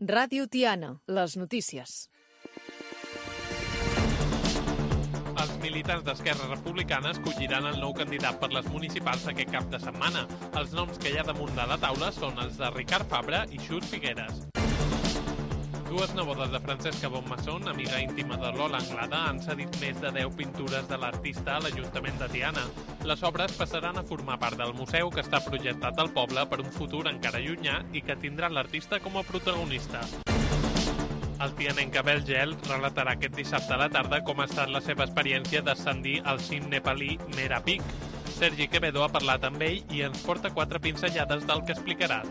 Ràdio Tiana, les notícies. Els militants d'Esquerra Republicana escolliran el nou candidat per les municipals aquest cap de setmana. Els noms que hi ha damunt de la taula són els de Ricard Fabra i Xus Figueres. Dues nebodes de Francesca Bonmason, amiga íntima de Lola Anglada, han cedit més de 10 pintures de l'artista a l'Ajuntament de Tiana. Les obres passaran a formar part del museu que està projectat al poble per un futur encara llunyà i que tindrà l'artista com a protagonista. El tianenc Abel Gel relatarà aquest dissabte a la tarda com ha estat la seva experiència d'ascendir al cim nepalí Mera Peak. Sergi Quevedo ha parlat amb ell i ens porta 4 pinzellades del que explicarà.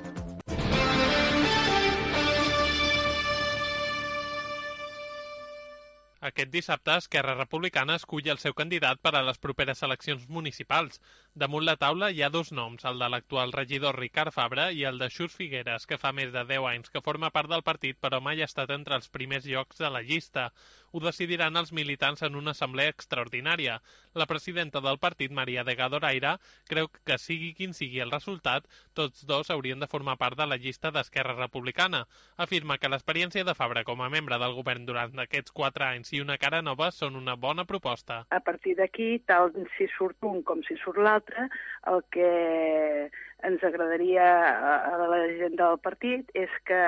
Aquest dissabte, Esquerra Republicana escull el seu candidat per a les properes eleccions municipals. Damunt la taula hi ha 2 noms, el de l'actual regidor Ricard Fabra i el de Xus Figueres, que fa més de 10 anys que forma part del partit però mai ha estat entre els primers llocs de la llista. Ho decidiran els militants en una assemblea extraordinària. La presidenta del partit, Maria de Gadoraire, creu que sigui quin sigui el resultat, tots dos haurien de formar part de la llista d'Esquerra Republicana. Afirma que l'experiència de Fabra com a membre del govern durant aquests 4 anys i una cara nova són una bona proposta. A partir d'aquí, tal si surt un com si surt l'altre, el que ens agradaria a la gent del partit és que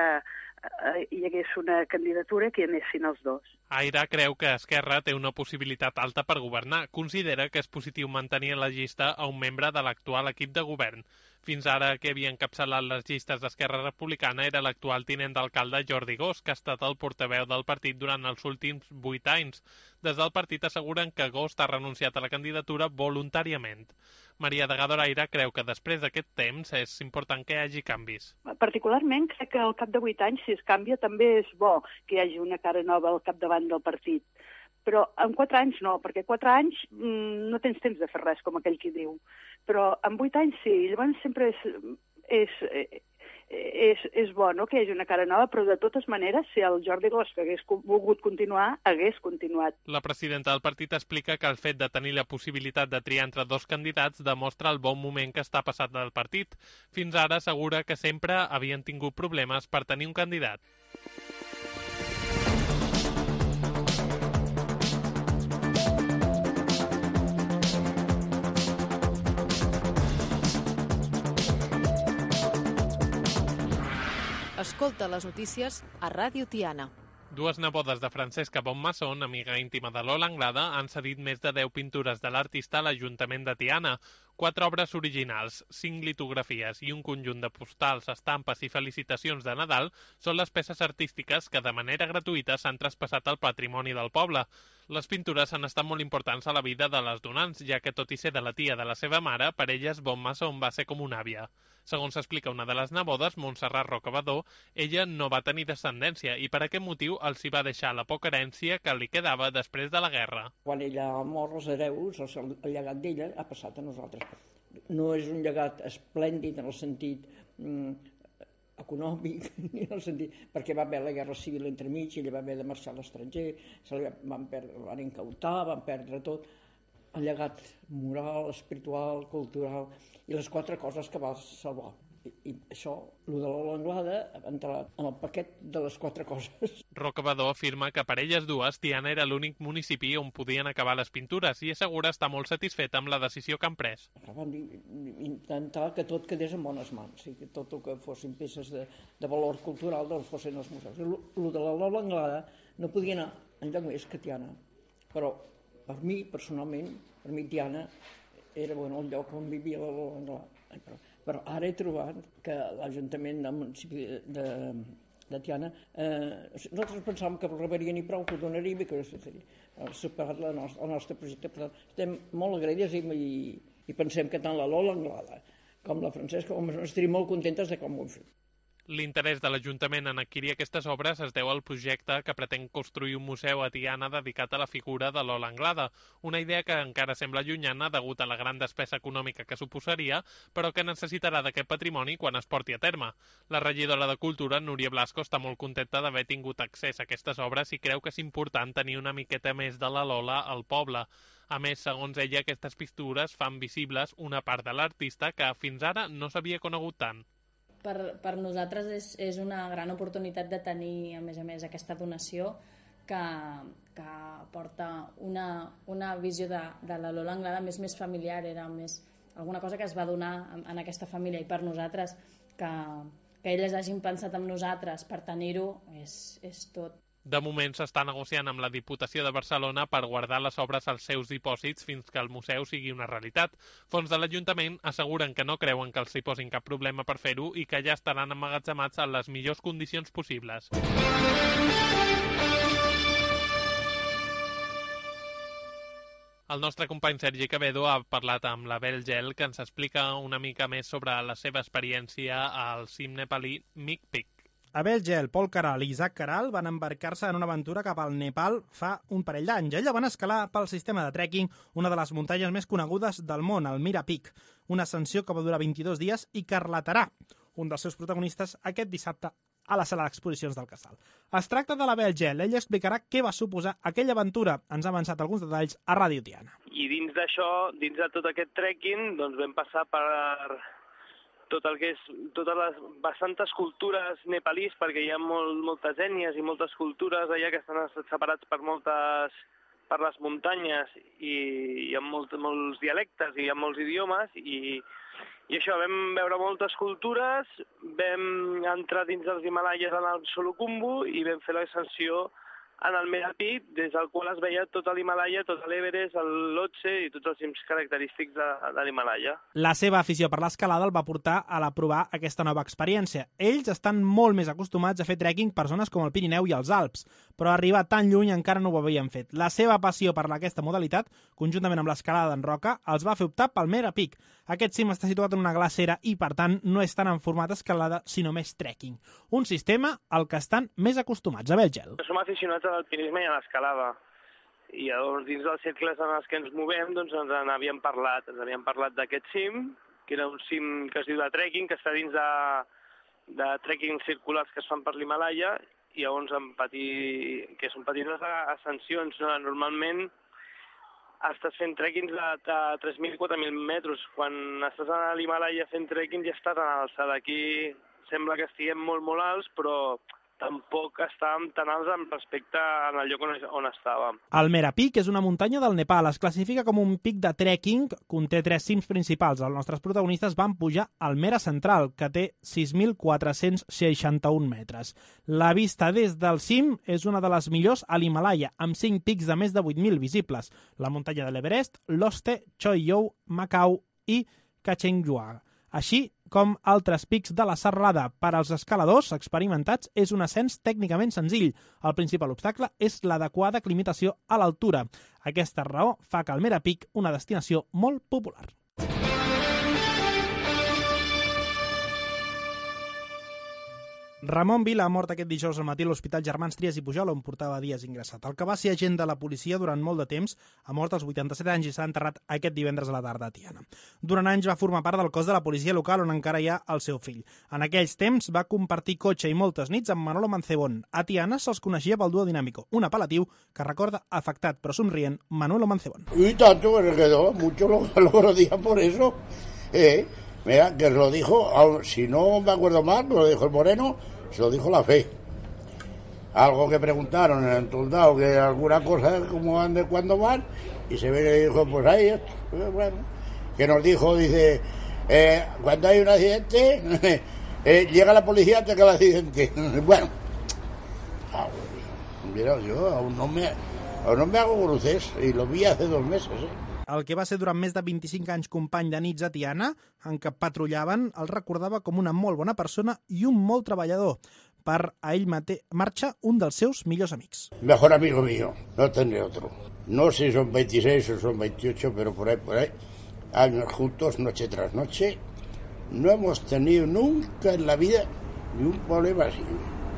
hi hagués una candidatura que hi anessin els dos. Aire creu que Esquerra té una possibilitat alta per governar. Considera que és positiu mantenir a la llista a un membre de l'actual equip de govern. Fins ara, que havia encapçalat les llistes d'Esquerra Republicana era l'actual tinent d'alcalde Jordi Gos, que ha estat el portaveu del partit durant els últims 8 anys. Des del partit asseguren que Gos ha renunciat a la candidatura voluntàriament. Maria de Gadoraire creu que després d'aquest temps és important que hi hagi canvis. Particularment crec que al cap de 8 anys, si es canvia, també és bo que hi hagi una cara nova al capdavant del partit. Però en 4 anys no, perquè 4 anys no tens temps de fer res, com aquell qui diu. Però en 8 anys sí, llavors sempre és bo, no?, que hi hagi una cara nova, però de totes maneres, si el Jordi Gos que hagués volgut continuar, hagués continuat. La presidenta del partit explica que el fet de tenir la possibilitat de triar entre 2 candidats demostra el bon moment que està passat del partit. Fins ara assegura que sempre havien tingut problemes per tenir un candidat. Escolta les notícies a Ràdio Tiana. 2 nebodes de Francesca Bonmason, amiga íntima de Lola Anglada, han cedit més de 10 pintures de l'artista a l'Ajuntament de Tiana. 4 obres originals, 5 litografies i un conjunt de postals, estampes i felicitacions de Nadal són les peces artístiques que de manera gratuïta s'han traspassat al patrimoni del poble. Les pintures han estat molt importants a la vida de les donants, ja que tot i ser de la tia de la seva mare, per elles Bonmason va ser com una àvia. Segons explica una de les nebodes, Montserrat Rocabador, ella no va tenir descendència i per aquest motiu els hi va deixar la poca herència que li quedava després de la guerra. Quan ella ha mort, els hereus, el llegat d'ella ha passat a nosaltres. No és un llegat esplèndid en el sentit econòmic, ni en el sentit, perquè va haver la guerra civil entremig, ella va haver de marxar a l'estranger, van incautar, van perdre tot. El llegat moral, espiritual, cultural i les 4 coses que va salvar. I això, el de Lola Anglada, ha entrat en el paquet de les 4 coses. Rocabador afirma que per elles dues Tiana era l'únic municipi on podien acabar les pintures i assegura estar molt satisfet amb la decisió que han pres. Vam intentar que tot quedés en bones mans, i que tot el que fossin peces de valor cultural doncs fossin els museus. El de la Lola Anglada no podia anar enlloc més que Tiana, però per mi, personalment, per mi Tiana era el lloc on vivia la Lola Anglada. Però ara he trobat que l'Ajuntament del municipi de Tiana, nosaltres pensàvem que rebrien i prou, que ho donaríem i que ha superat el nostre projecte. Per tant, estem molt agraïts i pensem que tant la Lola Anglada com la Francesca estaríem molt contentes de com ho hem fet. L'interès de l'Ajuntament en adquirir aquestes obres es deu al projecte que pretén construir un museu a Tiana dedicat a la figura de Lola Anglada, una idea que encara sembla llunyana degut a la gran despesa econòmica que suposaria, però que necessitarà d'aquest patrimoni quan es porti a terme. La regidora de Cultura, Núria Blasco, està molt contenta d'haver tingut accés a aquestes obres i creu que és important tenir una miqueta més de la Lola al poble. A més, segons ella, aquestes pintures fan visibles una part de l'artista que fins ara no s'havia conegut tant. per nosaltres és una gran oportunitat de tenir, a més, aquesta donació que porta una visió de la Lola Anglada més familiar, era més alguna cosa que es va donar en aquesta família, i per nosaltres que elles hagin pensat en nosaltres per tenir-ho és tot. De moment s'està negociant amb la Diputació de Barcelona per guardar les obres als seus dipòsits fins que el museu sigui una realitat. Fons de l'Ajuntament asseguren que no creuen que els hi posin cap problema per fer-ho i que ja estaran emmagatzemats en les millors condicions possibles. El nostre company Sergi Quevedo ha parlat amb l'Abel Gel, que ens explica una mica més sobre la seva experiència al cim nepalí Mic Pic. Abel Gel, Pol Caral i Isaac Caral van embarcar-se en una aventura cap al Nepal fa un parell d'anys. Ella van escalar pel sistema de trekking una de les muntanyes més conegudes del món, el Mira Peak, una ascensió que va durar 22 dies i que relatarà un dels seus protagonistes aquest dissabte a la sala d'exposicions del Casal. Es tracta de l'Abel Gel. Ella explicarà què va suposar aquella aventura. Ens ha avançat alguns detalls a Ràdio Tiana. I dins d'això, dins de tot aquest trekking, doncs vam passar per tot el que és totes les bastantes cultures nepalís, perquè hi ha moltes ètnies i moltes cultures allà que estan separats per les muntanyes, i hi ha molts dialectes i hi ha molts idiomes, i això, vam veure moltes cultures, vam entrar dins dels Himalaies en el Solukhumbu i vam fer l'ascensió en el Mera Peak, des del qual es veia tot l'Himalaya, tot l'Everest, el Lhotse i tots els cims característics de l'Himalaya. La seva afició per l'escalada el va portar a provar aquesta nova experiència. Ells estan molt més acostumats a fer trekking per zones com el Pirineu i els Alps, però arribar tan lluny encara no ho havien fet. La seva passió per aquesta modalitat, conjuntament amb l'escalada en roca, els va fer optar pel Mera Peak. Aquest cim està situat en una glacera i, per tant, no és tant en format escalada, sinó més trekking. Un sistema al que estan més acostumats. Abel Gel. Som aficionats a l'alpinisme i a l'escalada. I llavors, dins dels cercles en els que ens movem, doncs ens n'havíem parlat. Ens havíem parlat d'aquest cim, que era un cim que es diu de trekking, que està dins de trekking circulars que es fan per l'Himalaya, i llavors que són petites ascensions. Normalment estàs fent trekkings de 3.000 i 4.000 metres. Quan estàs a l'Himalaya fent trekking ja estàs a l'alçada. Aquí sembla que estiguem molt alts, però tampoc estàvem tan alts respecte al lloc on estàvem. El Mera Peak és una muntanya del Nepal. Es classifica com un pic de trekking, conté 3 cims principals. Els nostres protagonistes van pujar al Mera Central, que té 6.461 metres. La vista des del cim és una de les millors a l'Himalaya, amb 5 pics de més de 8.000 visibles. La muntanya de l'Everest, Lhotse, Choyou, Macau i Kachenjunga. Així com altres pics de la serralada. Per als escaladors experimentats és un ascens tècnicament senzill. El principal obstacle és l'adequada aclimatació a l'altura. Aquesta raó fa que el Mera Peak una destinació molt popular. Ramon Vila ha mort aquest dijous al matí a l'Hospital Germans Trias i Pujol, on portava dies ingressat. El que va ser agent de la policia durant molt de temps ha mort als 87 anys i s'ha enterrat aquest divendres a la tarda a Tiana. Durant anys va formar part del cos de la policia local, on encara hi ha el seu fill. En aquells temps va compartir cotxe i moltes nits amb Manolo Mancebón. A Tiana se'ls coneixia pel Dúo Dinámico, un apel·latiu que recorda afectat però somrient Manolo Mancebón. Y tanto que se quedó, mucho lo día por eso. Mira, que lo dijo, si no me acuerdo mal, lo dijo el Moreno, se lo dijo la Fe. Algo que preguntaron en el soldado, que alguna cosa, como van de cuándo van, y se ve y dijo, pues ahí, bueno, que nos dijo, dice, cuando hay un accidente, llega la policía antes que el accidente. Bueno, mira, yo aún no me hago cruces, y lo vi hace 2 meses, El que va ser durant més de 25 anys company de nits a Tiana, en què patrullaven, el recordava com una molt bona persona i un molt treballador. Per a ell marxa un dels seus millors amics. Mejor amigo mío, no tendré otro. No sé si son 26 o son 28, pero por ahí, años juntos, noche tras noche. No hemos tenido nunca en la vida ni un problema así.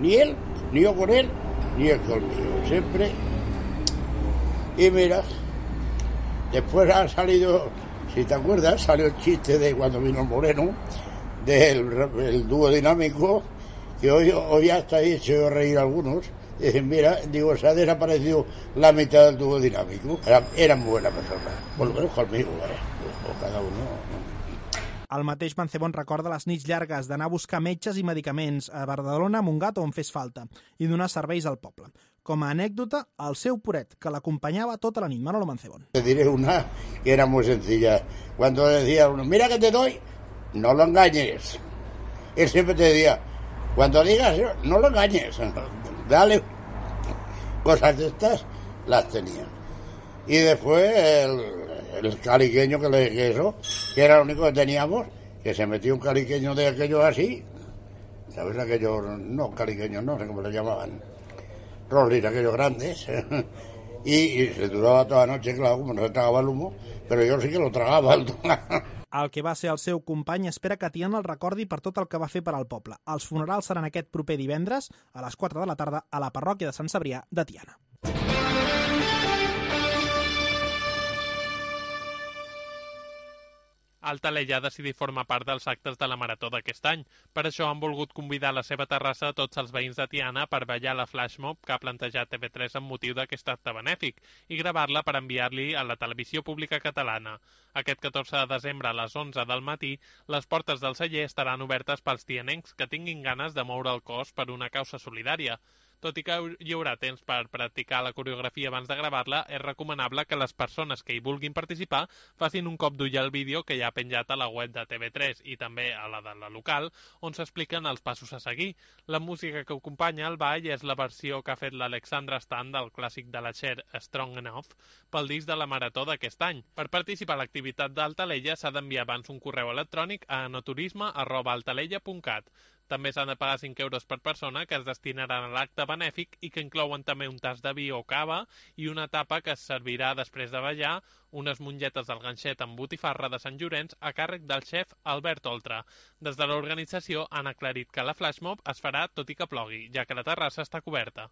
Ni él, ni yo con él, ni él conmigo. Siempre. Y mira, después ha salido, si te acuerdas, salió el chiste de cuando vino el Moreno, del dúo dinámico, que hoy hasta ahí hecho yo reír a algunos. Dicen, mira, digo, se ha desaparecido la mitad del dúo dinámico. Eran buenas personas, por lo menos conmigo, o cada uno. El mateix Mancebón recorda les nits llargues d'anar a buscar metges i medicaments a Badalona, Montgat o on fes falta i donar serveis al poble. Com a anècdota, el seu poret, que l'acompanyava tota la nit, Manolo Mancebón. Te diré una que era muy sencilla. Cuando decía uno, mira que te doy, no lo engañes. Él siempre te decía, cuando digas eso, no lo engañes. Dale. Cosas de estas las tenía. Y después el caliqueño que era lo único que teníamos, que se metió un caliqueño de aquellos así, ¿sabes? Aquellos, no, caliqueños, no sé cómo le llamaban, Rollis, aquellos grandes, y se duraba toda la noche, claro, como no se tragaba el humo, pero yo sí que lo tragaba. El que va ser el seu company espera que Tiana el recordi per tot el que va fer per al poble. Els funerals seran aquest proper divendres a les 4 de la tarda a la parròquia de Sant Cebrià de Tiana. Altalella ha decidit formar part dels actes de la Marató d'aquest any. Per això han volgut convidar a la seva terrassa a tots els veïns de Tiana per ballar la flash mob que ha plantejat TV3 amb motiu d'aquest acte benèfic i gravar-la per enviar-li a la televisió pública catalana. Aquest 14 de desembre a les 11 del matí, les portes del celler estaran obertes pels tianencs que tinguin ganes de moure el cos per una causa solidària. Tot i que hi haurà temps per practicar la coreografia abans de gravar-la, és recomanable que les persones que hi vulguin participar facin un cop d'ull al vídeo que hi ha penjat a la web de TV3 i també a la de la local, on s'expliquen els passos a seguir. La música que acompanya el ball és la versió que ha fet l'Alexandra Stan del clàssic de la Cher Strong Enough pel disc de la Marató d'aquest any. Per participar a l'activitat d'Altalella s'ha d'enviar abans un correu electrònic a enoturisme@altalella.cat. També s'han de pagar 5 euros per persona que es destinaran a l'acte benèfic i que inclouen també un tas de vi o cava i una tapa que es servirà després de ballar, unes mongetes del ganxet amb botifarra de Sant Llorenç a càrrec del xef Albert Oltra. Des de l'organització han aclarit que la flashmob es farà tot i que plogui, ja que la terrassa està coberta.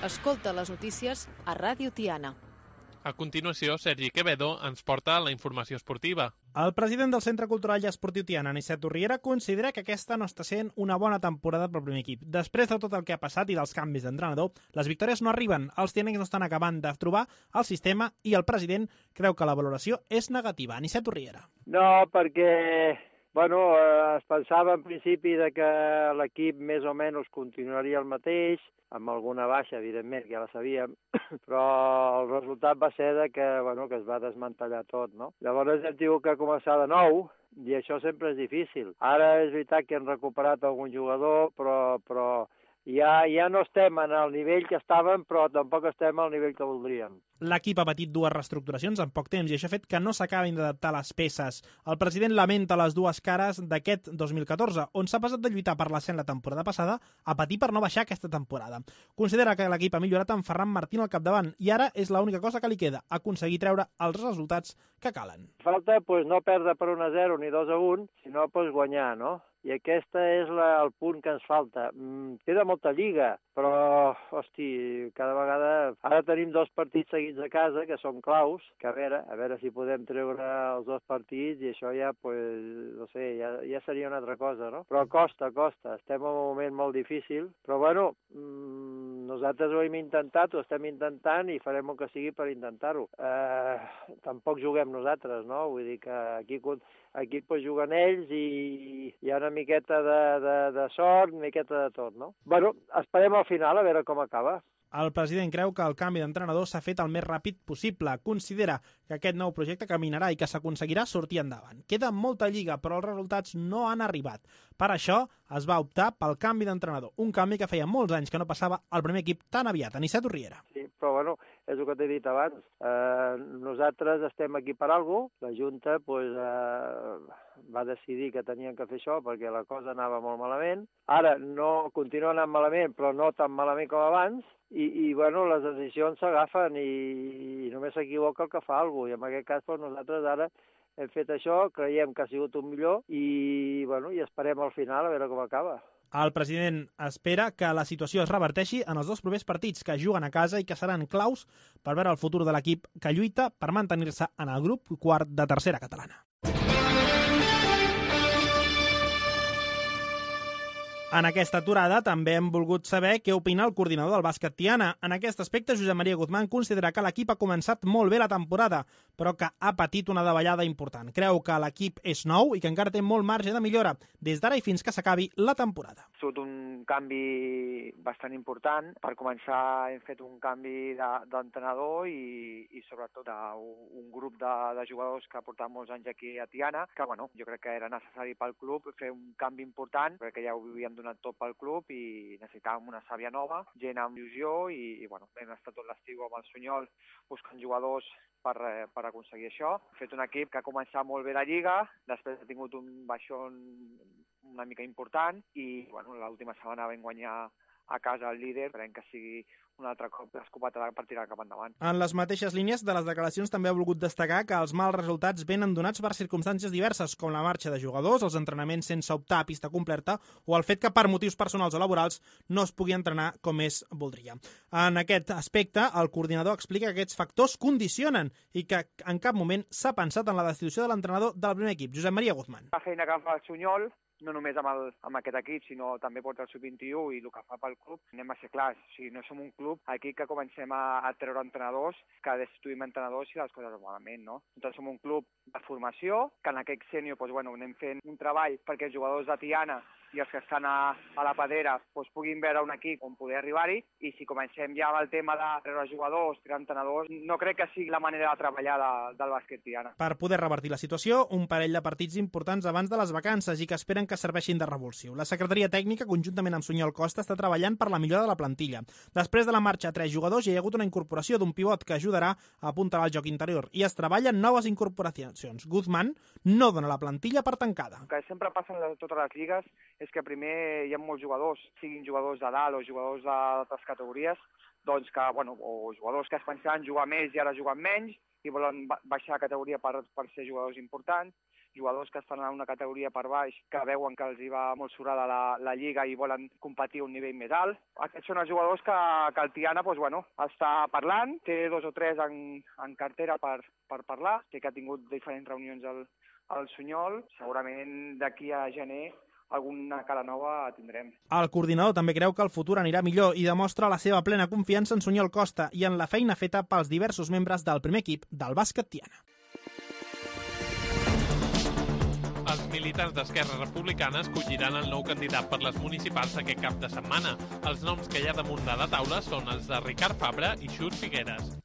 Escolta les notícies a Ràdio Tiana. A continuació, Sergi Quevedo ens porta la informació esportiva. El president del Centre Cultural i Esportiu Tiana, Aniceto Riera, considera que aquesta no està sent una bona temporada pel primer equip. Després de tot el que ha passat i dels canvis d'entrenador, les victòries no arriben, els tianencs no estan acabant de trobar el sistema i el president creu que la valoració és negativa. Aniceto Riera. No, perquè es pensava en principi de que l'equip més o menys continuaria el mateix, amb alguna baixa, evidentment, que ja la sabíem, però el resultat va ser de que es va desmantellar tot, no? Llavors hem tingut que començar de nou, i això sempre és difícil. Ara és veritat que hem recuperat algun jugador, però ja no estem en el nivell que estàvem, però tampoc estem al nivell que voldríem. L'equip ha patit 2 reestructuracions en poc temps i això ha fet que no s'acabin d'adaptar les peces. El president lamenta les 2 cares d'aquest 2014, on s'ha passat de lluitar per l'ascens la temporada passada a patir per no baixar aquesta temporada. Considera que l'equip ha millorat amb Ferran Martín al capdavant i ara és l'única cosa que li queda, aconseguir treure els resultats que calen. Falta no perdre per 1-0 ni 2-1, sinó guanyar, no? I aquest és el punt que ens falta. Queda molta lliga, però, cada vegada... Ara tenim 2 partits seguits a casa, que són claus, que a veure si podem treure els 2 partits i això ja, ja seria una altra cosa, no? Però costa. Estem en un moment molt difícil, però nosaltres ho hem intentat, ho estem intentant i farem el que sigui per intentar-ho. Tampoc juguem nosaltres, no? Vull dir que aquí juguen ells i hi ha una miqueta de sort, una miqueta de tot, no? Esperem al final a veure com acaba. El president creu que el canvi d'entrenador s'ha fet el més ràpid possible. Considera que aquest nou projecte caminarà i que s'aconseguirà sortir endavant. Queda molta lliga, però els resultats no han arribat. Per això es va optar pel canvi d'entrenador, un canvi que feia molts anys que no passava al primer equip tan aviat. Aniceto Riera. Sí, però és el que t'he dit abans. Nosaltres estem aquí per alguna cosa. La Junta va decidir que tenien que fer això perquè la cosa anava molt malament. Ara no continua anant malament, però no tan malament com abans. I les decisions s'agafen i només s'equivoca el que fa alguna cosa. I en aquest cas nosaltres ara hem fet això, creiem que ha sigut un millor i esperem al final a veure com acaba. El president espera que la situació es reverteixi en els 2 propers partits que juguen a casa i que seran claus per veure el futur de l'equip que lluita per mantenir-se en el grup quart de tercera catalana. En aquesta aturada també hem volgut saber què opina el coordinador del bàsquet Tiana. En aquest aspecte, Josep Maria Guzmán considera que l'equip ha començat molt bé la temporada, però que ha patit una davallada important. Creu que l'equip és nou i que encara té molt marge de millora, des d'ara i fins que s'acabi la temporada. Ha sigut un canvi bastant important. Per començar hem fet un canvi d'entrenador i sobretot d'un grup de jugadors que portaven molts anys aquí a Tiana, que jo crec que era necessari pel club fer un canvi important, perquè ja ho havíem donat tot pel club i necessitàvem una sàvia nova, gent amb il·lusió i hem estat tot l'estiu amb el Sunyol buscant jugadors per aconseguir això. Hem fet un equip que ha començat molt bé la Lliga, després ha tingut un baixón una mica important i l'última setmana vam guanyar a casa el líder, esperem que sigui un altre cop l'escopeta per tirar cap endavant. En les mateixes línies de les declaracions també ha volgut destacar que els mals resultats venen donats per circumstàncies diverses, com la marxa de jugadors, els entrenaments sense optar a pista completa o el fet que per motius personals o laborals no es pugui entrenar com es voldria. En aquest aspecte, el coordinador explica que aquests factors condicionen i que en cap moment s'ha pensat en la destitució de l'entrenador del primer equip, Josep Maria Guzmán. La feina que fa el Sunyol, no només amb aquest equip, sinó també porta el sub-21 i el que fa pel club, anem a ser clars. O sigui, no som un club aquí que comencem a treure entrenadors, que destituïm entrenadors i les coses malament, no? Nosaltres som un club de formació, que en aquest sènior anem fent un treball perquè els jugadors de Tiana i els que estan a la padera puguin veure un equip on poder arribar-hi, i si comencem ja amb el tema de treure jugadors, treure entrenadors, no crec que sigui la manera de treballar del bàsquet Tiana. Per poder revertir la situació, un parell de partits importants abans de les vacances i que esperen que serveixin de revulsiu. La secretaria tècnica, conjuntament amb Sunyol Costa, està treballant per la millora de la plantilla. Després de la marxa a 3 jugadors, hi ha hagut una incorporació d'un pivot que ajudarà a apuntar al joc interior i es treballen noves incorporacions. Guzmán no dona la plantilla per tancada. El que sempre passa en totes les lligues és que primer hi ha molts jugadors, siguin jugadors de dalt o jugadors d'altres categories, doncs que, o jugadors que es pensaven jugar més i ara juguen menys i volen baixar de categoria per ser jugadors importants, jugadors que estan en una categoria per baix que veuen que els hi va molt surada la Lliga i volen competir a un nivell més alt. Aquests són els jugadors que el Tiana està parlant, té 2 o 3 en cartera per parlar, sé que ha tingut diferents reunions al Sunyol, segurament d'aquí a gener alguna cara nova tindrem. El coordinador també creu que el futur anirà millor i demostra la seva plena confiança en Sunyol Costa i en la feina feta pels diversos membres del primer equip del bàsquet Tiana. Els militants d'Esquerra Republicana escolliran el nou candidat per les municipals aquest cap de setmana. Els noms que hi ha damunt de la taula són els de Ricard Fabra i Xus Figueres.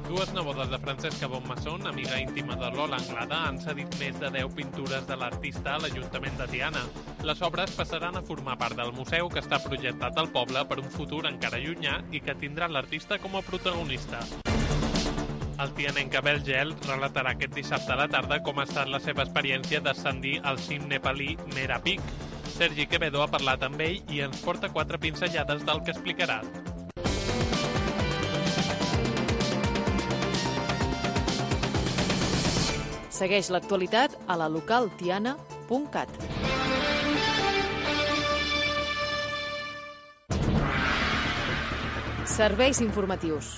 2 nebodes de Francesca Bonmasson, amiga íntima de Lola Anglada, han cedit més de 10 pintures de l'artista a l'Ajuntament de Tiana. Les obres passaran a formar part del museu que està projectat al poble per un futur encara llunyà i que tindrà l'artista com a protagonista. El tianenc Abel Gel relatarà aquest dissabte a la tarda com ha estat la seva experiència d'ascendir al cim nepalí Mera Peak. Sergi Quevedo ha parlat amb ell i ens porta 4 pinzellades del que explicarà. Segueix l'actualitat a la localtiana.cat. Serveis informatius.